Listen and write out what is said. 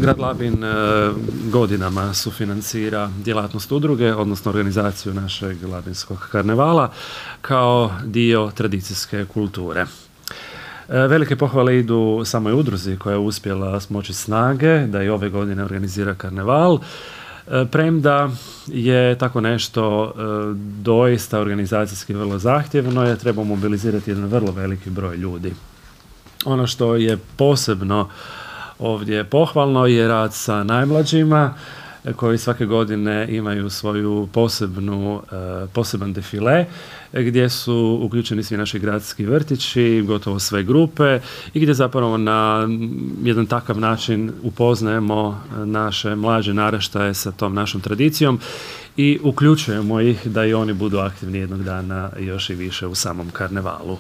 Grad Labin godinama sufinancira djelatnost udruge, odnosno organizaciju našeg Labinskog karnevala kao dio tradicijske kulture. Velike pohvale idu samoj udruzi koja je uspjela smoći snage da i ove godine organizira karneval, premda je tako nešto doista organizacijski vrlo zahtjevno, je treba mobilizirati jedan vrlo veliki broj ljudi. Ono što je posebno ovdje pohvalno je rad sa najmlađima koji svake godine imaju svoju poseban defile gdje su uključeni svi naši gradski vrtići, gotovo sve grupe i gdje zapravo na jedan takav način upoznajemo naše mlađe naraštaje sa tom našom tradicijom i uključujemo ih da i oni budu aktivni jednog dana još i više u samom karnevalu.